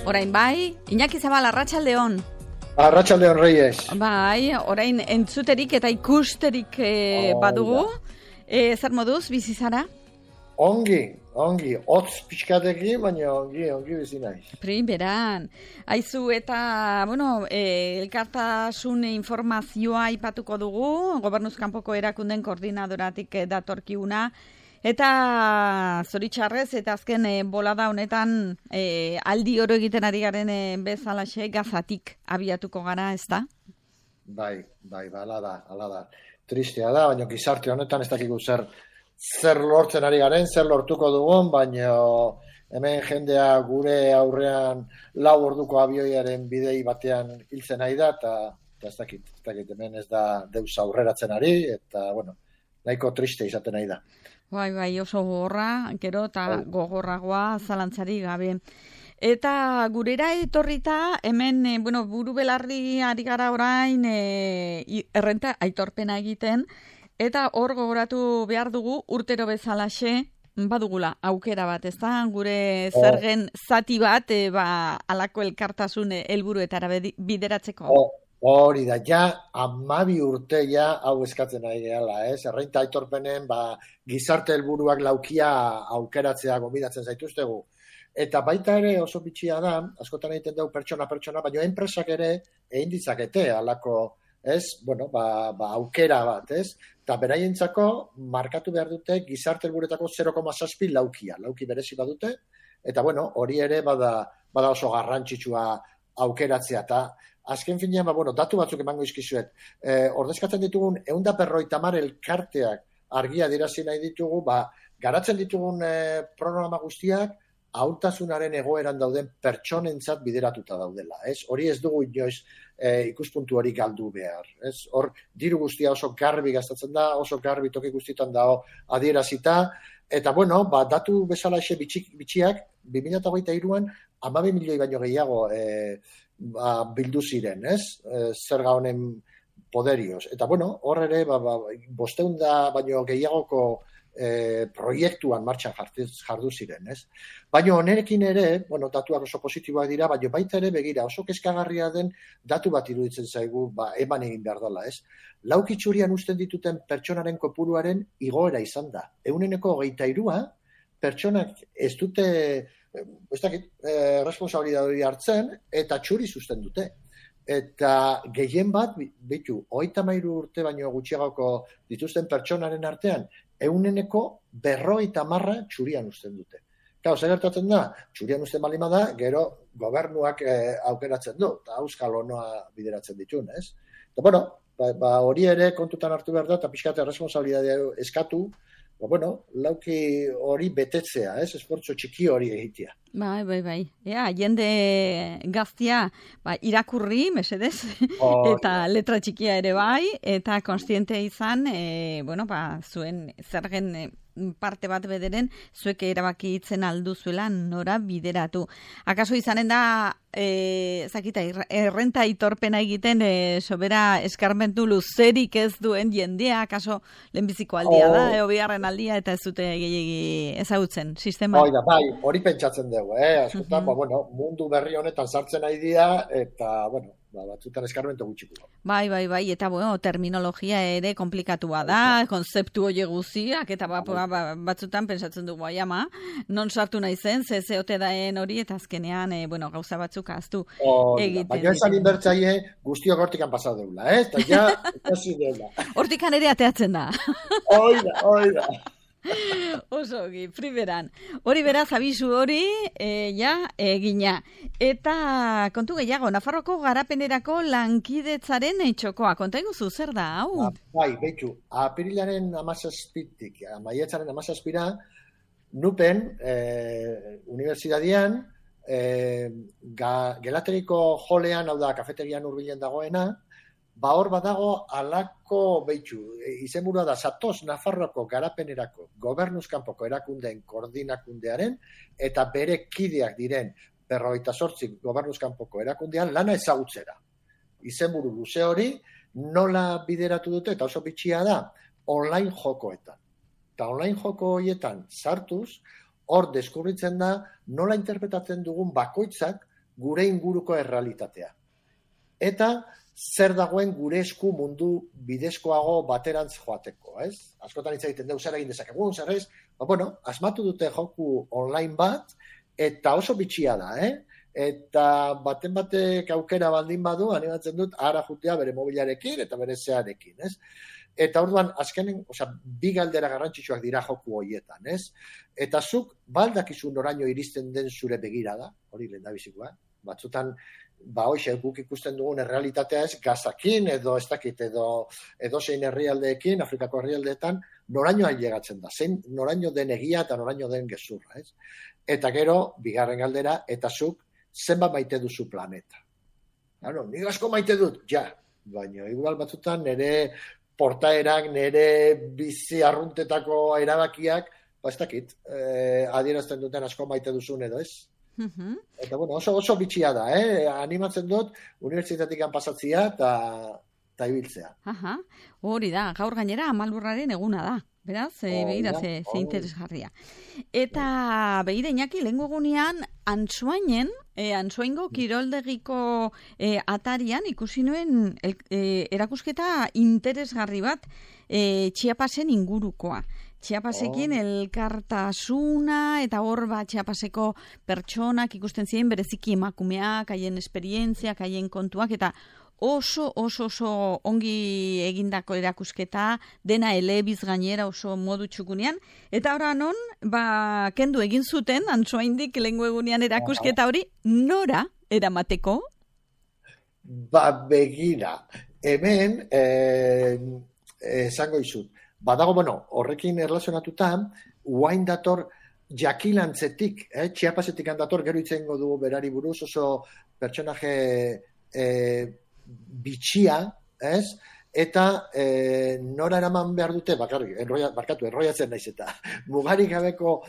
Orain bai, Iñaki Zabal, arratsaldeon. Arratsaldeon, Reyes. Bai, orain entzuterik eta ikusterik badugu. Zer moduz, bizi zara? Ongi, hotz pixkatekin, baina ongi bizi naiz. Primeran. Aizu eta, elkartasun informazioa aipatuko dugu, Gobernuz kanpoko erakunden koordinadoratik datorkiuna. Eta zoritxarrez, eta azken bolada honetan aldi oro egiten ari garen bezalaxe gazatik abiatuko gara, ez da? Bai, ala da. Tristea da, baina gizarte honetan ez dakigu zer lortzen ari garen, zer lortuko dugun, baina hemen jendea gure aurrean 4 orduko abioiaren bidei batean hiltzen ari da, eta ez dakit, hemen ez da deus aurreratzen ari, eta, nahiko triste izaten ari da. Bai, oso gogorra, gero eta gogorragoa zalantzari gabe. Eta gurera etorrita, hemen, buru belarri ari gara orain errenta aitorpena egiten, eta hor gogoratu behar dugu urtero bezalaxe, badugula aukera bat, ez da? Gure zergen zati bat, alako elkartasun helburuetara bideratzeko. Hori da, 12 urte hau eskatzen nahi gehala, ez? Errenta aitorpenen, gizarte helburuak laukia aukeratzea gomidatzen zaituztegu. Eta baita ere oso bitxia da, askotan egiten dugu pertsona, baina enpresak ere egin ditzakete alako, ez? Aukera bat, ez? Eta beraientzako markatu behar dute gizarte helburuetako 0,7 lauki berezi badute, eta hori ere bada oso garrantzitsua aukeratzea, eta azken finean, datu batzuk emango izkizuet. Ordezkatzen ditugun 150 elkarteak argia dirazi nahi ditugu, garatzen ditugun programa guztiak ahultasunaren egoeran dauden pertsonentzat bideratuta daudela. Hori ez dugu inoiz ikuspuntu hori galdu behar. Hor, diru guztia oso garbi gastatzen da, oso garbi toki guztietan dago adierazita, eta datu bezala ese bitxiak 2023an 12 milioi baino gehiago bildu ziren, zerga honen poderioz. Eta hor ere, 500 baino gehiagoko proiektuan martxan jardu ziren, Baina honerekin ere, datuak oso positiboak dira, baina baita ere begira, oso kezkagarria den datu bat iruditzen zaigu, eman egin behar dela, Laukitxurian usten dituten pertsonaren kopuruaren igoera izan da. 23% pertsonak ez dute responsabilidade hartzen, eta txuri zuzten dute. Eta gehien bat, 33 urte baino gutxiagoko dituzten pertsonaren artean, 50% txurian uzten dute. Zer gertatzen da? Txurian uzten balima da, gero gobernuak aukeratzen du, eta euskal honoa bideratzen ditun, Eta hori ere kontutan hartu behar da, eta pixkate responsabilidadea eskatu, lauki hori betetzea, esfortzo txiki hori egitea. Bai. Jende gaztia irakurri, mesedez, eta letra txikia ere bai, eta konstiente izan, zuen zergen parte bat bederen, zuek erabaki hitzen alduzuela nora bideratu. Akaso izanen da, errenta aitorpena egiten, sobera eskarmentu luzerik ez duen jendea, akaso lehenbiziko aldia da, bigarren aldia, eta ez dute gehiagi ezagutzen, sistema? Hori pentsatzen dugu, askotan, mundu berri honetan sartzen nahi dira, eta, batzutan eskarmentu gutxiko. Bai, eta terminologia ere komplikatua da, konzeptu hori guziak, eta batzutan pentsatzen dugu, non sartu nahi zen, zeote daen hori, eta azkenean, gauza batzuk aztu egiten. Baina esan inbertzaile guztiok hortikan pasau deula, eta hasi deula. Hortikan ere ateatzen da. Oida. Osogi, primeran. Hori beraz, abisu hori, egina. Eta kontu gehiago, Nafarroko garapenerako lankidetzaren txokoa. Konta iguzu, zer da, hau? Apirilaren 17-tik, maiatzaren 17-ra, Nupen, unibertsitatean, gelateriko jolean, hau da, kafeterian hurbilen dagoena, hor badago alako izenburua da Zatoz Nafarroko garapenerako Gobernuz kanpoko erakundeen koordinakundearen eta bere kideak diren 58 Gobernuz kanpoko erakundean lana ezagutzera. Izenburu luze hori nola bideratu dute, eta oso bitxia da, online jokoetan. Eta online joko horietan sartuz, hor deskubritzen da nola interpretatzen dugun bakoitzak gure inguruko errealitatea. Eta zer dagoen gure esku mundu bidezkoago baterantz joateko, ez? Askotan hitz egiten dugu zer egin dezakegun, zer ez? Bueno, asmatu dute joku online bat, eta oso bitxia da, Eta baten batek aukera baldin badu, animatzen dut, ara jutea bere mobilarekin eta bere zearekin, ez? Eta orduan, azkenen, bi galdera garrantzitsuak dira joku horietan, ez? Eta zuk, baldakizu noraino iristen den zure begirada, hori lehendabizikoa, batzutan, hoxe, guk ikusten dugun errealitatea ez, Gazakin edo ez dakit, edo zein herrialdeekin, Afrikako herrialdeetan, noraino ailegatzen da, noraino den egia eta noraino den gezurra, ez? Eta gero, bigarren galdera, eta zuk, zenbat maite duzu planeta. Nik asko maite dut, ja, baina igual batzutan nire portaerak, nire bizi arruntetako erabakiak, ez dakit, adierazten duten asko maite duzun edo ez. Eta bueno, oso bitxia da, animatzen dut, unibertsitatik pasatzea eta ibiltzea. Hori da, gaur gainera Amalurraren eguna da. Beraz, begira ze interesgarria. Eta begira Iñaki, lehengo egunean Antsoaingo kiroldegiko atarian ikusi nuen erakusketa interesgarri bat Chiapasen ingurukoa. Chiapasekin elkartasuna eta hor Chiapaseko pertsonak ikusten ziren bereziki emakumeak, haien esperientziak, haien kontuak eta oso ongi egindako erakusketa, dena elebiz gainera oso modu txukunean, eta ora non, kendu egin zuten, Antsoaindik lehengo egunean erakusketa hori, nora eramateko? Begira, hemen, esango izut, badago, horrekin erlazionatuta, uain dator jakilantzetik, Chiapasetik handator, gero itzengo dugu berari buruz, oso pertsonaje bitxia, ez? Eta nora eraman behar dute, enroiatzen naiz eta mugarik gabeko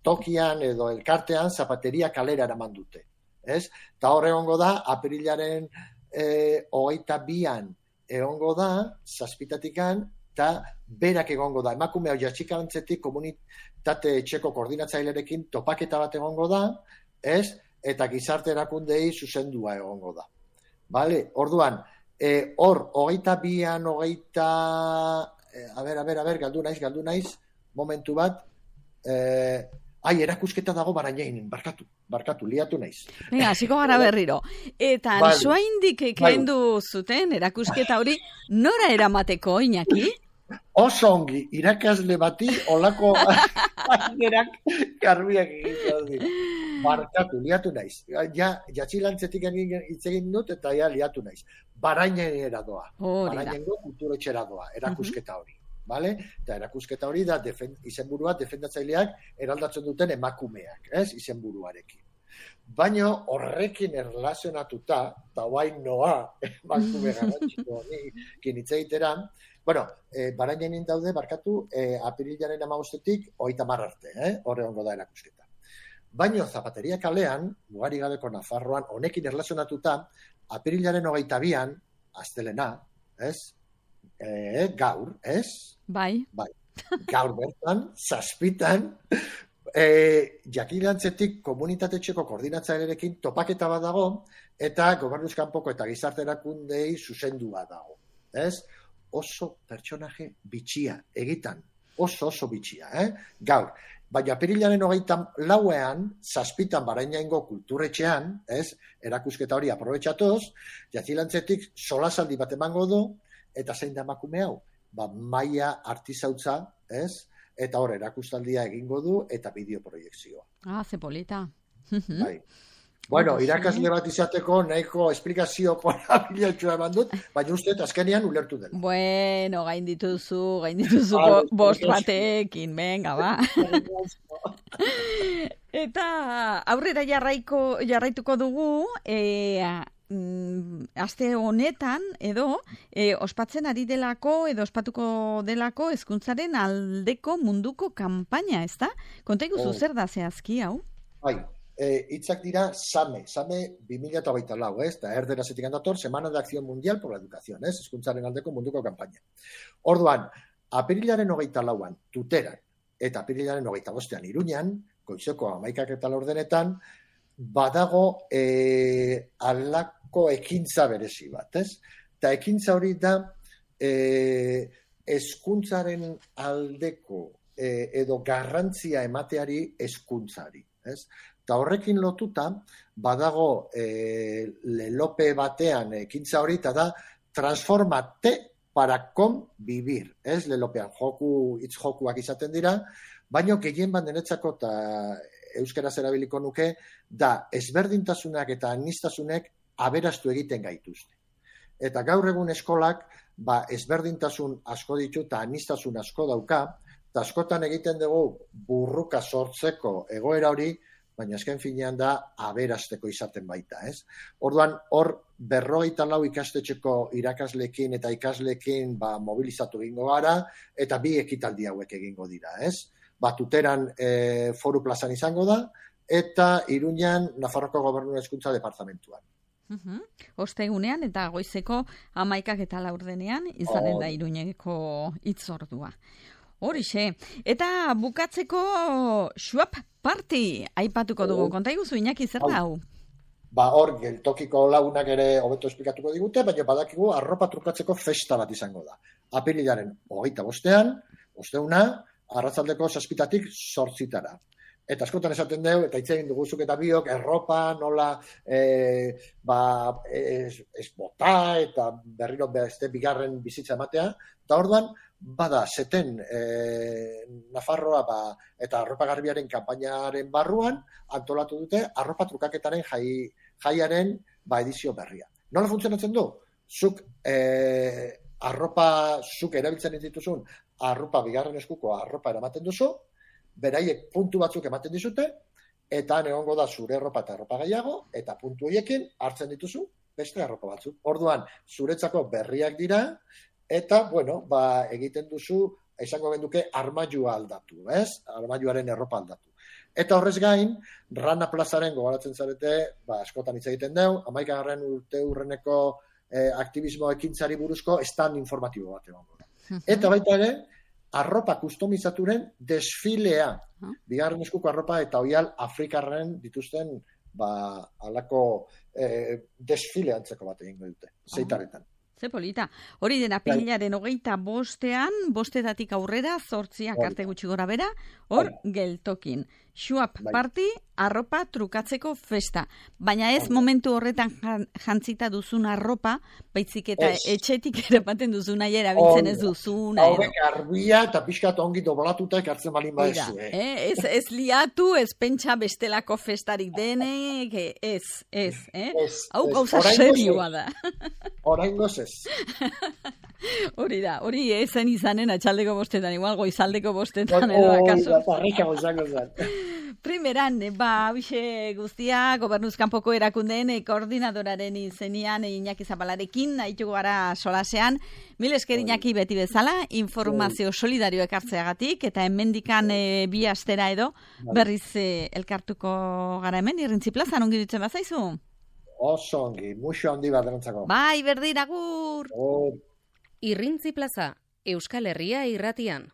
tokian edo elkartean zapateria kalera eraman dute, ez? Eta hor egongo da, apirilaren 22an egongo da, 7:00 eta berak egongo da. Emakume hau jatxikarantzetik komunitate etxeko koordinatzailerekin topaketa bat egongo da, ez? Eta gizarte erakundei zuzendua egongo da. Bale, orduan, hor, 22an, galdu naiz, momentu bat, erakusketa dago Barañainen, barkatu, liatu naiz. Venga, hasiko gara berriro. Eta Antsoaindik kendu zuten erakusketa hori, nora eramateko, Iñaki? Oso ongi, irakasle bati olako ainerak garbiak egiten. Barkatu, liatu naiz. Jatxilantzetik hitz egin dut eta liatu naiz. Barainera doa. Barainengo kulturetxera doa, erakusketa hori. Vale? Eta erakusketa hori da izenburua defendatzaileak eraldatzen duten emakumeak, ez? Izenburuarekin. Baina horrekin erlazionatuta, eta guain noa, emakume garrantziko honekin hitz egitera, Barainen daude, apirilaren 15-tik 30 arte, horre hongo da erakusketa. Baina Zapateria kalean, mugari gabeko Nafarroan, honekin erlazionatuta, apirilaren 22an, astelena, ez? Gaur, ez? Bai. Gaur bertan, 7:00, jakilantzetik komunitate-etxeko koordinatzailerekin topaketa bat dago, eta gobernuzkanpoko eta gizarte erakundei zuzendua dago, ez? Oso pertsonaje bitxia, egitan, oso bitxia, gaur. Baina apirilaren 24an, 7:00 Barainaingo kulturetxean, ez, erakusketa hori aprobetxatuz, jakilantzetik solasaldi bat emango du, eta zein da emakume hau? Maia artizautza, ez, eta hor erakustaldia egingo du, eta bideoproiekzioa. Ze polita. Bai. Bueno, irakasle bat izateko nahiko esplikazio korabilatxua eman dut, baina uste azkenean ulertu dela. Bueno, gain dituzu bost batekin, venga, ba. Eta aurrera jarraituko dugu, aste honetan edo ospatzen ari delako edo ospatuko delako hezkuntzaren aldeko munduko kanpaina, ezta? Konta iguzu zer da zehazki hau? Bai. Hitzak dira SAME 2024, eta erderazetik handator, Semana de Acción Mundial por la Educación, hezkuntzaren aldeko munduko kanpaina. Orduan, apirilaren 24an Tuteran, eta apirilaren 25an Iruñan, goizeko 11:00 ordenetan, badago alako ekintza berezi bat, ez? Eta ekintza hori da hezkuntzaren aldeko edo garrantzia emateari hezkuntzari, ez? Eta horrekin lotuta, badago lelope batean ekintza hori, eta da transformate para convivir, ez? Lelopean hitz jokuak izaten dira, baina gehien bat niretzako eta euskaraz erabiliko nuke, da ezberdintasunak eta aniztasunek aberastu egiten gaituzte. Eta gaur egun eskolak, ezberdintasun asko ditu eta aniztasun asko dauka, eta askotan egiten dugu burruka sortzeko egoera hori, baina azken finean da aberasteko izaten baita, ez? Orduan, hor 54 ikastetxeko irakasleekin eta ikasleekin mobilizatu egingo gara, eta 2 ekitaldi hauek egingo dira, ez? Tuteran foru plazan izango da, eta Iruñan Nafarroko Gobernu Hezkuntza Departamentuan. Ostegunean eta goizeko 11:04 izanen da Iruñeko hitzordua. Horixe. Eta bukatzeko Schwab Party aipatuko dugu. Konta iguzu, Iñaki, zer da hau? Hor, geltokiko lagunak ere hobeto esplikatuko digute, baina badakigu arropa trukatzeko festa bat izango da. Apirilaren 25, osteuna, arratsaldeko 7:00 8:00. Eta askotan esaten dugu, eta hitz egin duguzuk eta biok, erropa nola ez bota eta berriro beste bigarren bizitza ematea. Eta orduan, bada, zeten Nafarroa eta arropa garbiaren kanpainaren barruan antolatu dute arropa trukaketaren jaiaren edizio berria. Nola funtzionatzen du? Zuk erabiltzen dituzun arropa bigarren eskuko arropa eramaten duzu, beraiek puntu batzuk ematen dizute, eta egongo da zure arropa eta arropa gehiago, eta puntu horiekin hartzen dituzu beste arropa batzuk. Orduan, zuretzako berriak dira, eta, egiten duzu, izango genduke, armailua aldatu, ez? Armailuaren erropa aldatu. Eta horrez gain, Rana Plazaren gogoratzen zarete, askotan hitz egiten dugu, 11. urte hurreneko aktivismo ekintzari buruzko stand informatibo bat egongo da. Eta baita ere, arropa kustomizaturen desfilea. Bigarren eskuko arropa eta oial afrikarren dituzten alako desfile antzeko bat egingo dute, zeitarretan. Ze polita. Hori den apirilaren 25, 5:00 aurrera, 8:00 arte gutxi gora bera, hor geltokin. Schwab Party, arropa trukatzeko festa. Baina ez momentu horretan jantzita duzun arropa, baitzik eta etxetik erapaten duzun nahi erabiltzen ez duzun. Haurek garbia eta pixkat ongi doblatuta ekartzen balin badezu. Ez liatu, ez pentsa bestelako festarik denek, ez. Hau gauza serioa da. Oraingoz ez. Hori da, hori ezen izanen atxaldeko 5:00, igual goizaldeko 5:00 edo akaso. Primeran, bixe guztia, gobernuzkanpoko erakundeen koordinadoraren izenian Iñaki Zapalarekin, nahitu gara solasean. Mil esker Iñaki beti bezala, informazio solidario ekartzeagatik, eta hemendikan 2 astera edo, berriz elkartuko gara hemen, Irrintzi plazan, ongi ditzen bazaizu? Oso ongi, muxo handi bat erantzako. Bai, berdin, agur! Irrintzi plaza, Euskal Herria irratian.